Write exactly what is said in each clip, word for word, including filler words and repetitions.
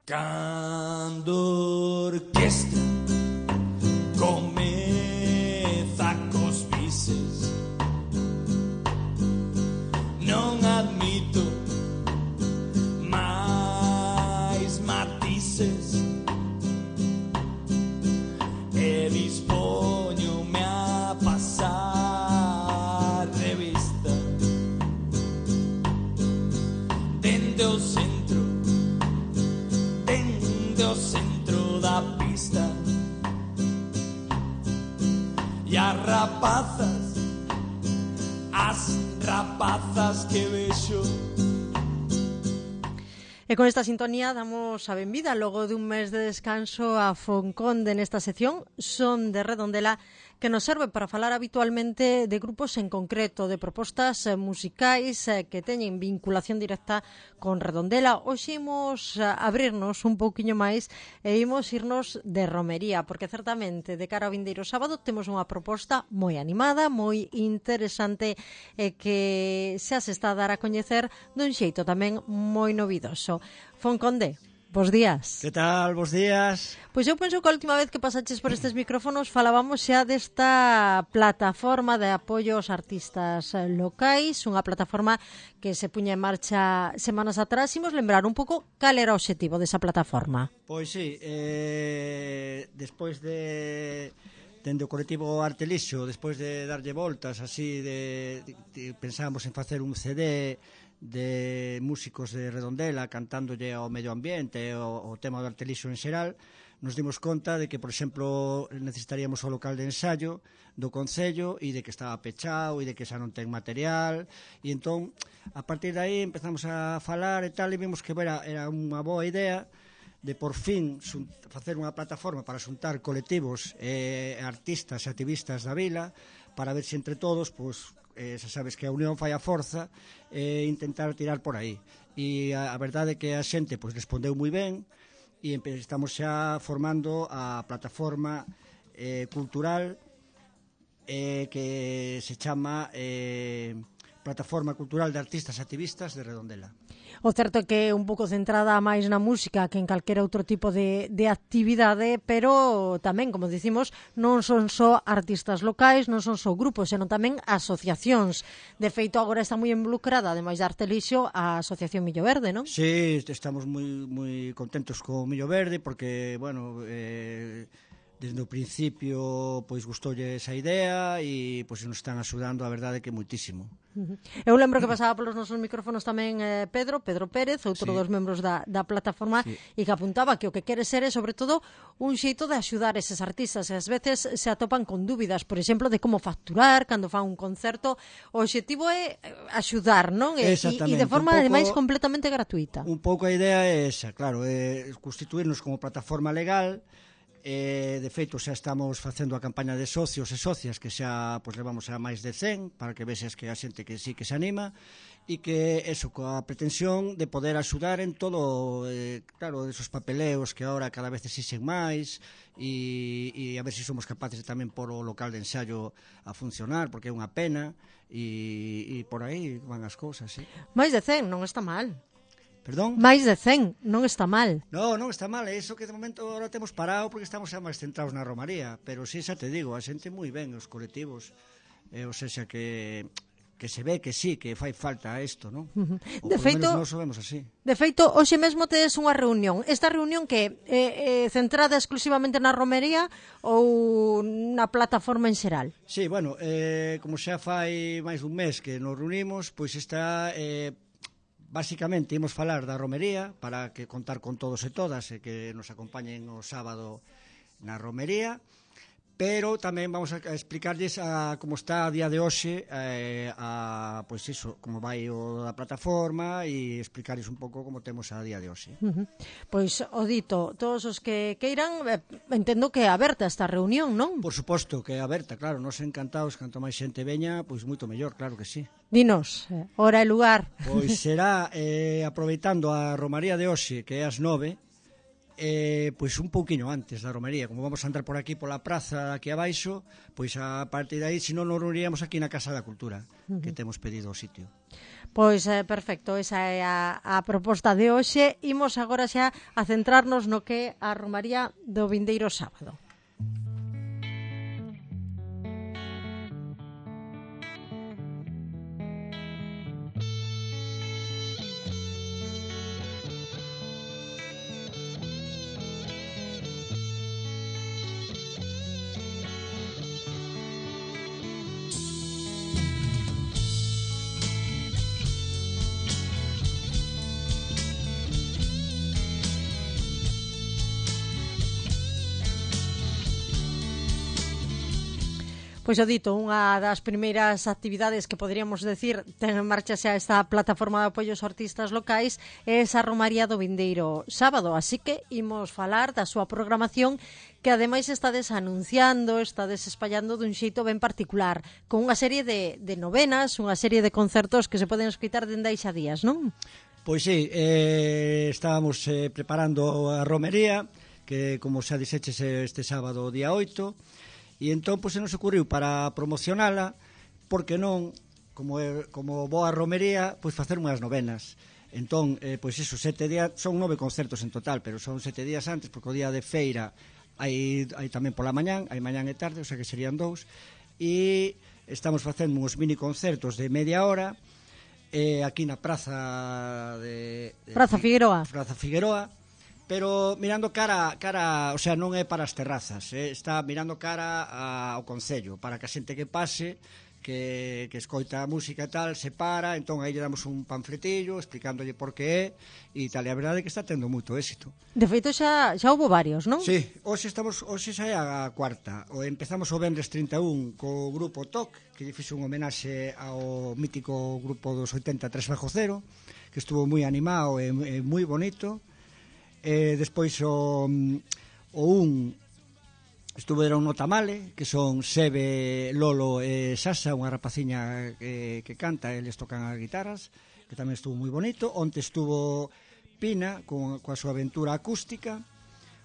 Cando orquestra comeza cos bises, non admito máis matices e dispoñome a pasar revista dende o centro, dende o centro da pista. E as rapazas, as rapazas que vexo. E con esta sintonía damos a benvida logo dun mes de descanso a Fonconde nesta sección Son de Redondela, que nos serve para falar habitualmente de grupos en concreto, de propostas musicais que teñen vinculación directa con Redondela. Hoxe imos abrirnos un pouquiño máis e imos irnos de romería, porque certamente de cara ao vindeiro sábado temos unha proposta moi animada, moi interesante e que xa se está a dar a coñecer dun xeito tamén moi novidoso. Fonconde, bos días. Que tal, bos días? Pois eu penso que a última vez que pasaches por estes micrófonos falábamos xa desta plataforma de apoio aos artistas locais, unha plataforma que se puña en marcha semanas atrás. Imos lembrar un pouco cal era o obxectivo desa plataforma. Pois sí, eh, despois de... dende o colectivo Artelixo, despois de darlle voltas así, de, de, de pensamos en facer un C D de músicos de Redondela cantándolle ao medio ambiente, o, o tema do Artelixo en xeral, nos dimos conta de que, por exemplo, necesitaríamos o local de ensayo do Concello e de que estaba pechado e de que xa non ten material, e entón, a partir de aí empezamos a falar e tal, e vimos que era, era unha boa idea de por fin facer unha plataforma para xuntar colectivos e artistas e activistas da vila para ver se entre todos, pois, eh, xa sabes que a unión fai a forza, e eh, intentar tirar por aí. E a, a verdade é que a xente pois, respondeu moi ben e estamos xa formando a plataforma eh, cultural eh, que se chama eh, Plataforma Cultural de Artistas Activistas de Redondela. O certo é que é un pouco centrada máis na música que en calquera outro tipo de, de actividade, pero tamén, como dicimos, non son só artistas locais, non son só grupos, senón tamén asociacións. De feito, agora está moi involucrada, ademais de Artelixo, a Asociación Millo Verde, non? Sí, estamos moi moi contentos co Millo Verde, porque, bueno... Eh, desde o principio pois gustoulle esa idea e pois nos están axudando, a verdade que moitísimo. Uh-huh. Eu lembro que pasaba polos nosos micrófonos tamén eh, Pedro, Pedro Pérez, outro sí. dos membros da, da plataforma, sí. e que apuntaba que o que quere ser é, sobre todo, un xeito de axudar eses artistas, e ás veces se atopan con dúbidas, por exemplo, de como facturar cando fan un concerto. O obxectivo é axudar, non? E, e de forma, pouco, ademais, completamente gratuita. Un pouco a idea é esa, claro, é constituirnos como plataforma legal. Eh, de feito, xa estamos facendo a campaña de socios e socias, que xa pois, levamos a máis de cen, para que vexes que a xente que sí que se anima, e que eso, coa pretensión de poder axudar en todo, eh, claro, esos papeleos que agora cada vez exixen máis, e, e a ver se si somos capaces de tamén por o local de ensayo a funcionar, porque é unha pena, e, e por aí van as cousas, sí. Máis de cen, non está mal. Perdón? Máis de cen, non está mal. No, non está mal, é iso que de momento agora temos parado porque estamos xa máis centrados na romaría, pero si xa te digo, a xente moi ben, os colectivos, eh, ou seja que que se ve que sí, que fai falta isto, non? Uh-huh. Ou de por feito, menos nós o vemos así. De feito, hoxe mesmo tedes unha reunión. Esta reunión que é eh, centrada exclusivamente na romería ou na plataforma en xeral? Sí, bueno, eh, como xa fai máis dun mes que nos reunimos, pois está... Eh, Básicamente, imos falar da romería para que contar con todos e todas e que nos acompañen o sábado na romería, pero tamén vamos a explicarlles a como está a día de hoxe, eh, a, pois iso, como vai o da plataforma e explicarlles un pouco como temos a día de hoxe. Uh-huh. Pois, o dito, todos os que queiran, eh, entendo que é aberta esta reunión, non? Por suposto que é aberta, claro, nos encantados, canto máis xente veña, pois moito mellor, claro que sí. Dinos, eh, hora e lugar. Pois será, eh, aproveitando a romaría de hoxe, que é as nove, eh, pois un pouquiño antes da romería, como vamos a andar por aquí pola praza aquí abaixo, pois a partir de aí, se non nos reuniríamos aquí na Casa da Cultura, uh-huh. que temos pedido o sitio. Pois eh, perfecto, esa é a, a proposta de hoxe. Imos agora xa a centrarnos no que é a romaría do vindeiro sábado. Pois o dito, unha das primeiras actividades que poderíamos decir ten en marcha xa esta plataforma de apoio aos artistas locais é esa romaría do vindeiro sábado, así que imos falar da súa programación que ademais estades anunciando, estades espallando dun xeito ben particular, con unha serie de, de novenas, unha serie de concertos que se poden escoitar dende aí xa días, non? Pois sí, eh, estábamos eh, preparando a romería, que como xa dixeches este sábado día oito, e entón pois, se nos ocurriu para promocionala, porque non, como, é, como boa romería, pois facer unhas novenas. Entón, eh, pois iso, sete días, son nove concertos en total, pero son sete días antes, porque o día de feira hai, hai tamén pola mañán, hai mañán e tarde, o sea que serían dous, e estamos facendo uns mini concertos de media hora, eh, aquí na Praza de... de Praza Figueroa. Praza Figueroa, pero mirando cara, cara, o sea, non é para as terrazas, eh? Está mirando cara ao concello, para que a xente que pase, que, que escoita a música e tal, se para, entón aí lle damos un panfletillo explicándolle por que é, e tal, e a verdade é que está tendo moito éxito. De feito xa, xa houve varios, non? Sí, hoxe estamos, hoxe xa é a cuarta, o empezamos o vendres trinta e un co grupo T O C, que lle fixo un homenaxe ao mítico grupo dos oitenta tres bajo cero, que estuvo moi animado e, e moi bonito. Eh, despois o, o un estuveron no Tamale, que son Sebe, Lolo e Sasa, unha rapaciña que, que canta, eles tocan as guitarras, que tamén estuvo moi bonito. Onte estuvo Pina con, coa súa aventura acústica.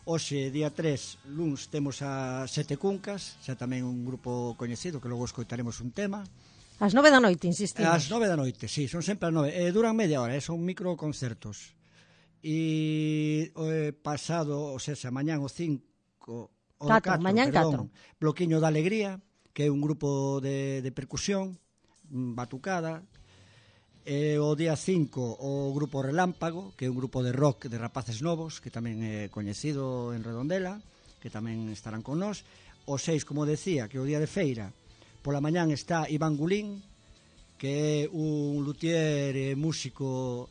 Hoxe, día tres, luns, temos a Sete Cuncas, xa tamén un grupo coñecido, que logo escoitaremos un tema. As nove da noite, insistimos. As nove da noite, sí, son sempre as nove. Eh, duran media hora, eh, son microconcertos. E o eh, pasado, o sea, xa mañán o cinco, o catro, mañán perdón, Bloquiño da Alegría, que é un grupo de, de percusión, batucada. E o día cinco, o grupo Relámpago, que é un grupo de rock de rapaces novos, que tamén é coñecido en Redondela, que tamén estarán con nós. O seis, como decía, que o día de feira, pola mañán está Iván Gulín, que é un luthier e músico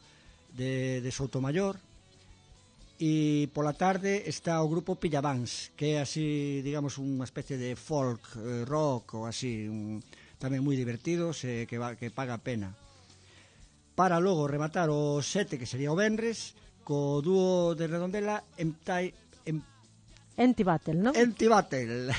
de, de Soutomayor, e pola tarde está o grupo Pillavans, que é así, digamos, unha especie de folk eh, rock ou así, un, tamén moi divertido, se, que, va, que paga a pena. Para logo rematar o sete, que sería o venres, co dúo de Redondela en tai, en Entibattle, non? Entibattle.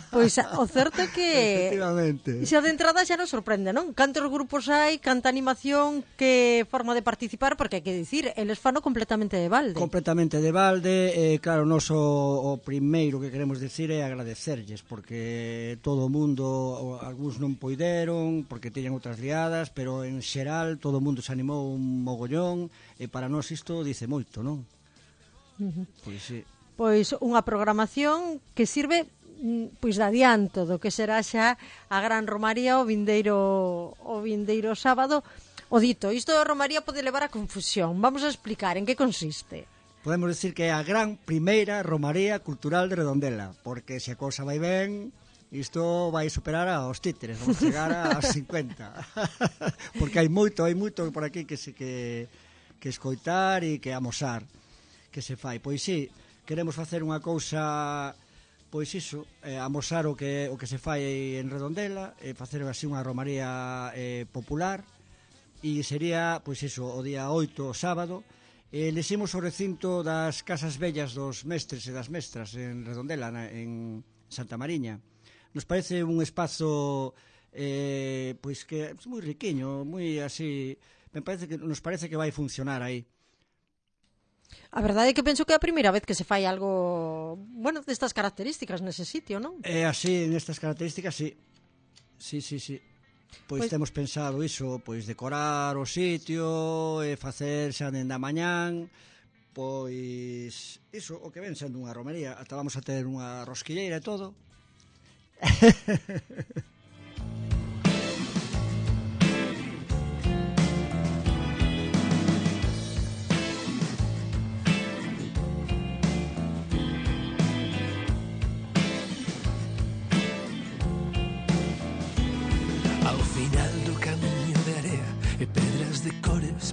Pois o certo é que efectivamente, xa de entrada xa nos sorprende, non? Cantos grupos hai, canta animación, que forma de participar, porque hai que dicir, eles fano completamente de balde. Completamente de balde, eh, claro, nos o, o primeiro que queremos dicir é agradecerlles, porque todo o mundo, algúns non poideron, porque teñan outras liadas, pero en xeral todo o mundo se animou un mogollón, e para nós isto dice moito, non? Uh-huh. Pois sí. Pois unha programación que sirve pois de adianto do que será xa a gran romaría o vindeiro o vindeiro sábado. O dito, isto da romaría pode levar a confusión. Vamos a explicar en que consiste. Podemos decir que é a gran primeira romaría cultural de Redondela, porque se a cousa vai ben, isto vai superar aos títeres, vamos chegar aos cincuenta. Porque hai moito, hai moito por aquí que se que que escoitar e que amosar que se fai. Pois sí, queremos facer unha cousa, pois iso, eh, amosar o que, o que se fai en Redondela, eh, facer así unha romaría eh, popular, e sería, pois iso, o día oito, sábado, eh, leximos o recinto das Casas Vellas dos Mestres e das Mestras en Redondela, na, en Santa Mariña. Nos parece un espazo, eh, pois que é moi riquiño, moi así, me parece que nos parece que vai funcionar aí. A verdade é que penso que é a primeira vez que se fai algo, bueno, destas características nese sitio, non? É así, nestas características, sí. Sí, sí, sí. Pois, pois temos pensado iso, pois decorar o sitio, e facer xa dende a mañán, pois iso, o que ven sendo unha romería, ata vamos a ter unha rosquilleira e todo.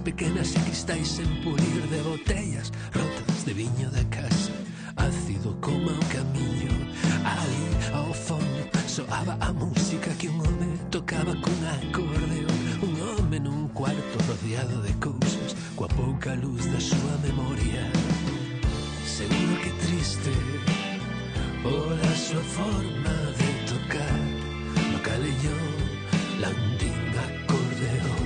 Pequenas e cristais en pulir de botellas rotas de viño da casa, ácido como o camiño. Ali ao fondo soaba a música que un home tocaba cun acordeón, un home nun cuarto rodeado de cousas, coa pouca luz da súa memoria. Seguro que triste pola súa forma de tocar no calellón landín acordeón.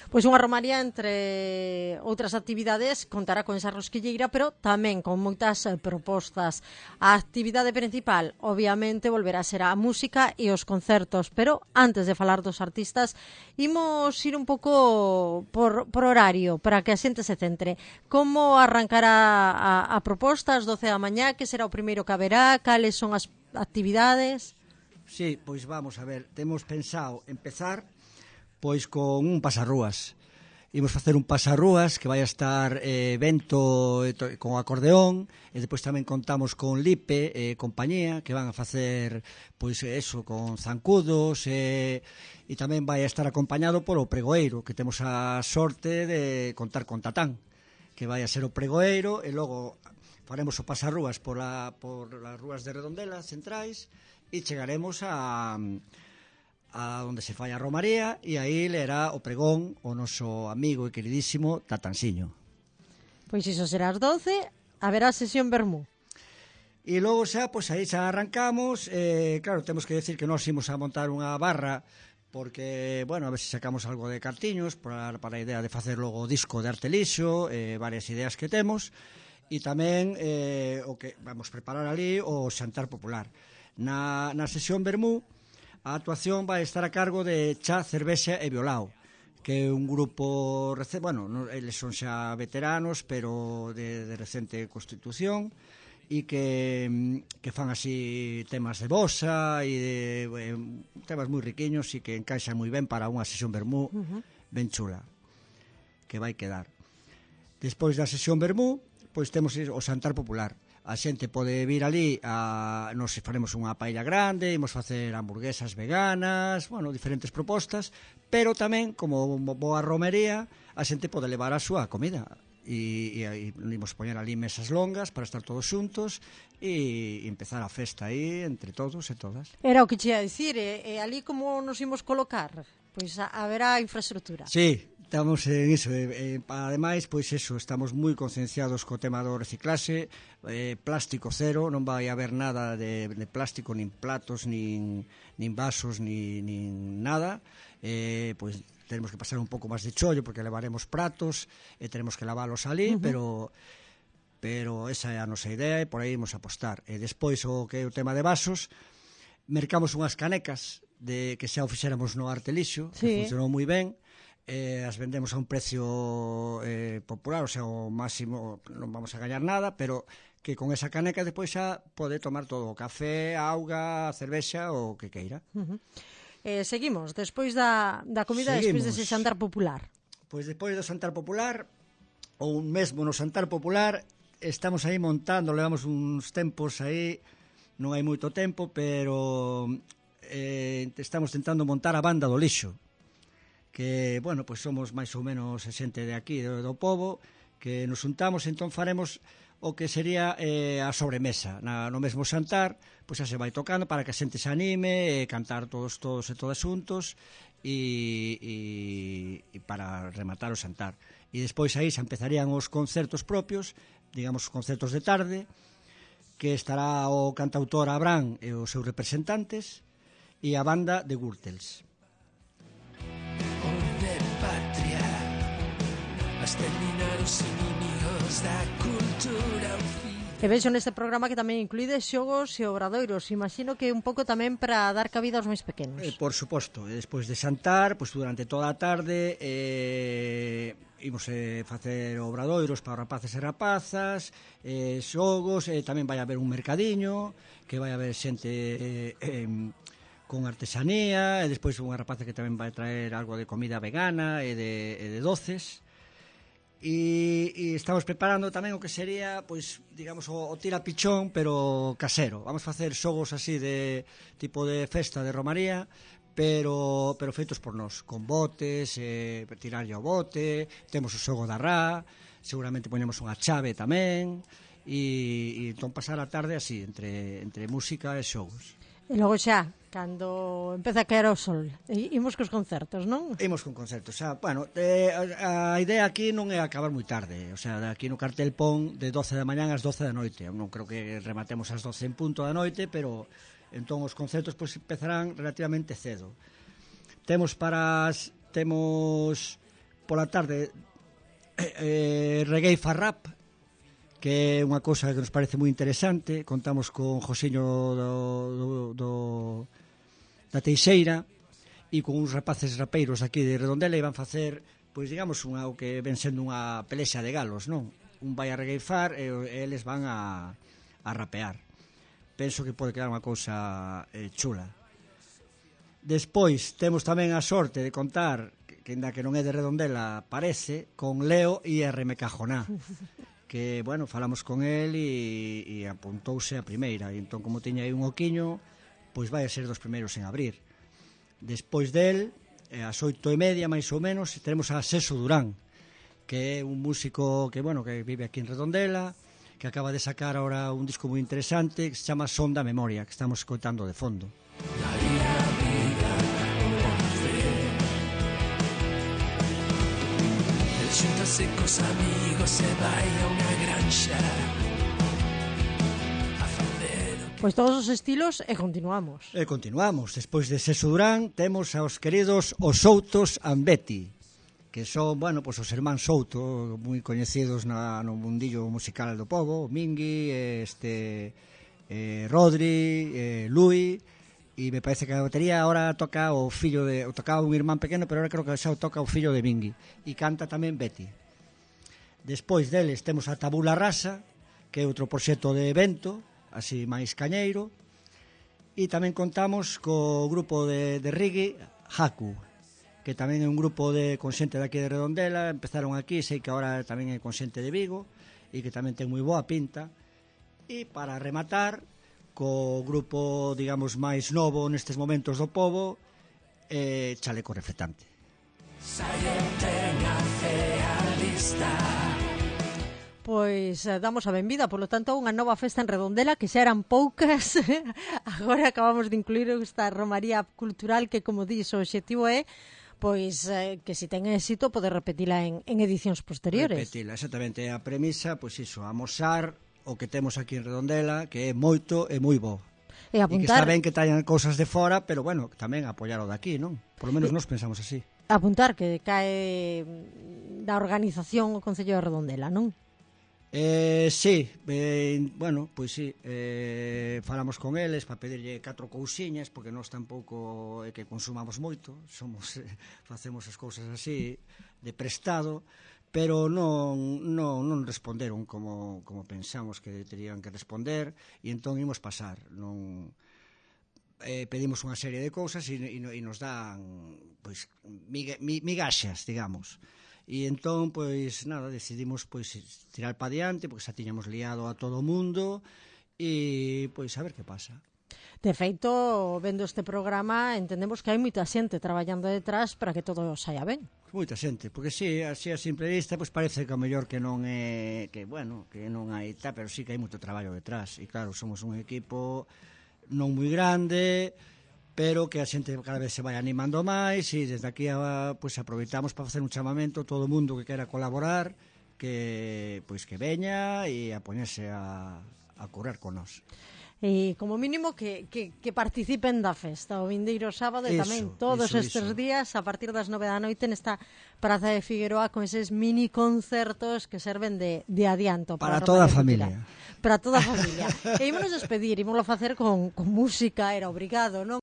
Pois unha romaría, entre outras actividades, contará con esa rosquilleira, pero tamén con moitas propostas. A actividade principal, obviamente, volverá a ser a música e os concertos, pero antes de falar dos artistas, imos ir un pouco por, por horario, para que a xente se centre. Como arrancará a, a proposta ás doce da mañá? Que será o primeiro que haberá? Cales son as actividades? Sí, pois vamos a ver, temos pensado empezar pois con un pasarrúas. Imos facer un pasarrúas que vai a estar eh, vento e to, con acordeón, e depois tamén contamos con Lipe e eh, compañía, que van a facer pois eso, con zancudos, e, e tamén vai a estar acompañado polo pregoeiro, que temos a sorte de contar con Tatán, que vai a ser o pregoeiro, e logo faremos o pasarrúas por, a, por as rúas de Redondela centrais, e chegaremos a a onde se fai a romaría, e aí lerá o pregón o noso amigo e queridísimo Tatansiño. Pois iso será ás doce, haberá sesión vermú. E logo xa, pois aí xa arrancamos, eh, claro, temos que decir que nós imos a montar unha barra, porque, bueno, a ver se sacamos algo de cartiños para, para a idea de facer logo o disco de arte lixo, eh, varias ideas que temos, e tamén eh, o que vamos preparar ali o xantar popular. Na, na sesión vermú, a actuación vai estar a cargo de Cha, Cervexa e Violao, que é un grupo, bueno, no, eles son xa veteranos, pero de, de recente constitución, e que, que fan así temas de bossa e de, eh, temas moi riquiños e que encaixan moi ben para unha sesión vermú uh-huh. ben chula, que vai quedar. Despois da sesión vermú, pois temos o xantar popular. A xente pode vir ali, a, nos faremos unha paella grande, imos facer hamburguesas veganas, bueno, diferentes propostas, pero tamén, como boa romería, a xente pode levar a súa comida. E, e, e imos poñer ali mesas longas para estar todos xuntos e, e empezar a festa aí entre todos e todas. Era o que che ia dicir, e, e ali como nos imos colocar? Pois a, haberá infraestructura. Sí. Estamos en iso, eh, eh, ademais, pois eso, estamos moi concienciados co tema do reciclaxe, eh, plástico cero, non vai haber nada de, de plástico, nin platos, nin, nin vasos, nin, nin nada, eh, pois tenemos que pasar un pouco máis de chollo, porque levaremos pratos, e tenemos que lavalos ali, uh-huh. pero pero esa é a nosa idea, e por aí imos apostar. E despois, o que é o tema de vasos, mercamos unhas canecas, de que xa o fixéramos no Arte Lixo, sí. que funcionou moi ben, Eh, as vendemos a un precio eh, popular, o sea, o máximo non vamos a gañar nada, pero que con esa caneca despois xa pode tomar todo, o café, a auga, a cervexa, o que queira. Uh-huh. eh, seguimos, despois da, da comida, seguimos. Despois dese xantar popular. Pois despois do xantar popular, ou mesmo no xantar popular, estamos aí montando, levamos uns tempos aí, non hai moito tempo, pero eh, estamos tentando montar a banda do lixo, que, bueno, pois somos máis ou menos xente de aquí, do, do povo, que nos juntamos, entón faremos o que sería eh, a sobremesa. Na, no mesmo xantar, pois xa se vai tocando para que a xente se anime, e cantar todos, todos e todas xuntos, e, e, e para rematar o xantar. E despois aí xa empezarían os concertos propios, digamos, os concertos de tarde, que estará o cantautor Abraham e os seus representantes, e a banda de Gürtels. Patria, has terminado os inimigos da cultura. E vexo neste programa que tamén incluíde xogos e obradoiros. Imagino que un pouco tamén para dar cabida aos máis pequenos. Eh, por suposto, despois de xantar, pois durante toda a tarde eh, imos eh, facer obradoiros para rapaces e rapazas, eh, xogos, eh, tamén vai haber un mercadiño, que vai haber xente eh, eh, con artesanía, e despois unha rapaza que tamén vai traer algo de comida vegana e de, e de doces. E, e estamos preparando tamén o que sería, pois, digamos, o, o tirapichón, pero casero. Vamos facer xogos así de tipo de festa de romaría, pero pero feitos por nós, con botes, eh, tirarlle ao bote, temos o xogo da rá, seguramente poñemos unha chave tamén, e, e entón pasar a tarde así, entre, entre música e xogos. E logo xa, cando empeza a caer o sol, imos cos concertos, non? Imos con concertos, xa, bueno, eh, a, a idea aquí non é acabar moi tarde, o sea, aquí no cartel pon de doce da mañán ás doce da noite, non creo que rematemos ás doce en punto da noite, pero entón os concertos pois empezarán relativamente cedo. Temos para as, temos pola tarde eh, eh, reggae fa rap, que é unha cousa que nos parece moi interesante. Contamos con Josiño do, do, do, da Teixeira e con uns rapaces rapeiros aquí de Redondela e van facer, pois digamos, unha, o que ven sendo unha pelexa de galos, non? Un vai a regueifar e, e eles van a, a rapear. Penso que pode quedar unha cousa eh, chula. Despois temos tamén a sorte de contar, que ainda que non é de Redondela, parece, con Leo e R M Cajoná, que, bueno, falamos con el e, e apuntouse a primeira, e entón, como tiña aí un oquiño, pois vai a ser dos primeiros en abrir. Despois del, ás oito e media, máis ou menos, teremos a Seso Durán, que é un músico que, bueno, que vive aquí en Redondela, que acaba de sacar ahora un disco moi interesante que se chama Son da Memoria, que estamos escoitando de fondo. Xúntase cos amigos e vai a unha granxa a facer. Pois todos os estilos e continuamos. E continuamos. Despois de Seso Durán temos aos queridos Os Soutos Ambeti, que son, bueno, pois os irmáns Souto, moi coñecidos na, no mundillo musical do pobo, Mingui, este, eh, Rodri, eh, Lui, e me parece que a batería agora toca o fillo de, o tocaba un irmán pequeno, pero agora creo que xa o toca o fillo de Mingui, e canta tamén Betty. Despois deles temos a Tabula Rasa, que é outro proxecto de evento, así máis cañeiro, e tamén contamos co grupo de, de reggae Haku, que tamén é un grupo de consente daqui de Redondela, empezaron aquí, sei que agora tamén é consente de Vigo, e que tamén ten moi boa pinta. E para rematar, co grupo, digamos, máis novo nestes momentos do pobo, eh, Chaleco Reflectante. Pois eh, damos a benvida, polo tanto, unha nova festa en Redondela, que xa eran poucas. Agora acabamos de incluir esta romaría cultural que, como dís, o obxectivo é pois eh, que se ten éxito poder repetila en, en edicións posteriores. Repetila, exactamente. A premisa, pois iso, amosar o que temos aquí en Redondela, que é moito e moi bo. E apuntar... E que está ben que trañan cousas de fora, pero, bueno, tamén apoiar o de aquí, non? Por lo menos e... nos pensamos así. Apuntar que cae da organización o Concello de Redondela, non? Eh, sí, eh, bueno, pois sí, eh, falamos con eles para pedirlle catro cousiñas, porque nós tampouco é que consumamos moito, somos eh, facemos as cousas así de prestado, pero non, non, non responderon como, como pensamos que terían que responder, e entón imos pasar. Non, eh, pedimos unha serie de cousas e, e, e nos dan pois, miga, migaxas, digamos. E entón, pois, nada, decidimos pois tirar para diante, porque xa tiñamos liado a todo o mundo, e, pois, a ver que pasa. De feito, vendo este programa, entendemos que hai moita xente traballando detrás para que todo saia ben. Moita xente, porque si, así a simple vista, pois parece que o mellor que non é, que, bueno, que non hai tal, pero sí que hai moito traballo detrás. E claro, somos un equipo non moi grande, pero que a xente cada vez se vai animando máis, e desde aquí a, pois, aproveitamos para facer un chamamento a todo o mundo que quera colaborar, que pois que veña e a poñerse a, a correr con nós. e como mínimo que, que, que participen da festa o vindeiro sábado e Iso, tamén todos iso, estes iso. días a partir das nove da noite nesta Praza de Figueroa con eses mini concertos que serven de, de adianto Para para, toda a Romaría familia. Cultural. Para toda a familia. E ímonos despedir, ímoslo facer con, con música, era obrigado, non?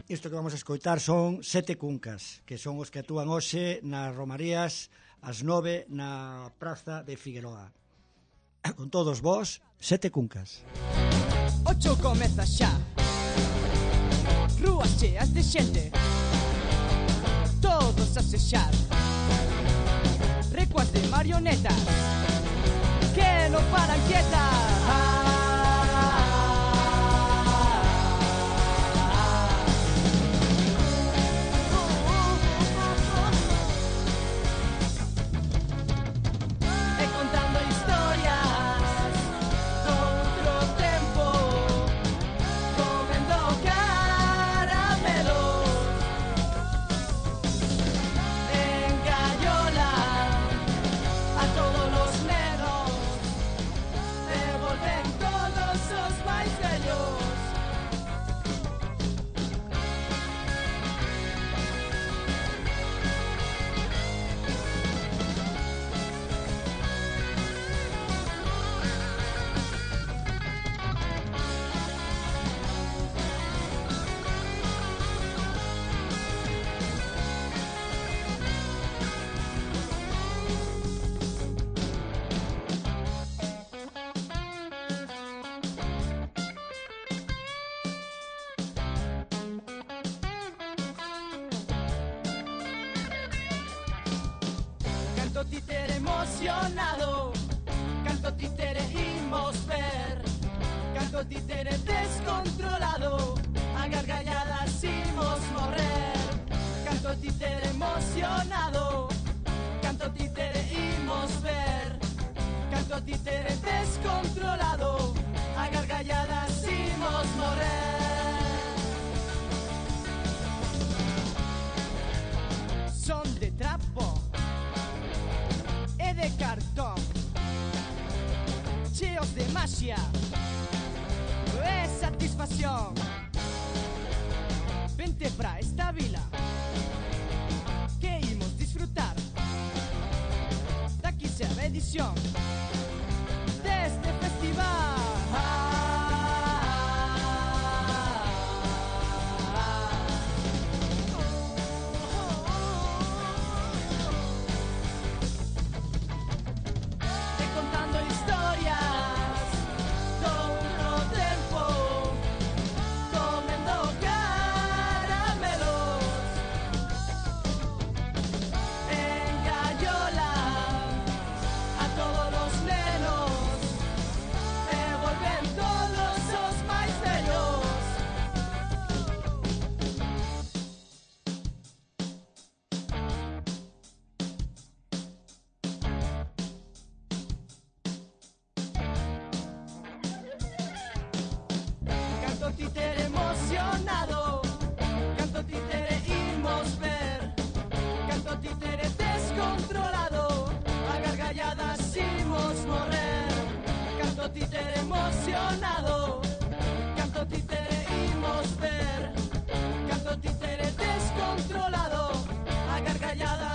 Isto que vamos a escoitar son sete cuncas, que son os que actúan hoxe nas Romarías ás nove na Praza de Figueroa. Con todos vós, sete cuncas. Ocho comeza xa. Rúas cheas de xente, todos a sexar. Recuas de marionetas que non paran quietas. E contando historias doutro tempo, comendo caramelos, engañolan a todos los nenos, devolven todos os máis vellos. Canto títere emocionado, canto títere imos ver, canto títere descontrolado, a gargalladas imos morrer. Canto títere emocionado, canto títere imos ver, canto títere descontrolado, a gargalladas imos morrer. Son de trapo e de cartón, cheos de magia e satisfacción. Vente pra esta vila que imos disfrutar da quinceava edición deste festival. E contando historias doutro tempo, comendo caramelos, engañolan a todos los nenos, devolven todos os máis vellos. Canto títere emocionado, canto títere imos ver, canto títere descontrolado, a gargalladas imos morrer. Canto títere emocionado, canto títere imos ver, canto títere descontrolado, a gargalladas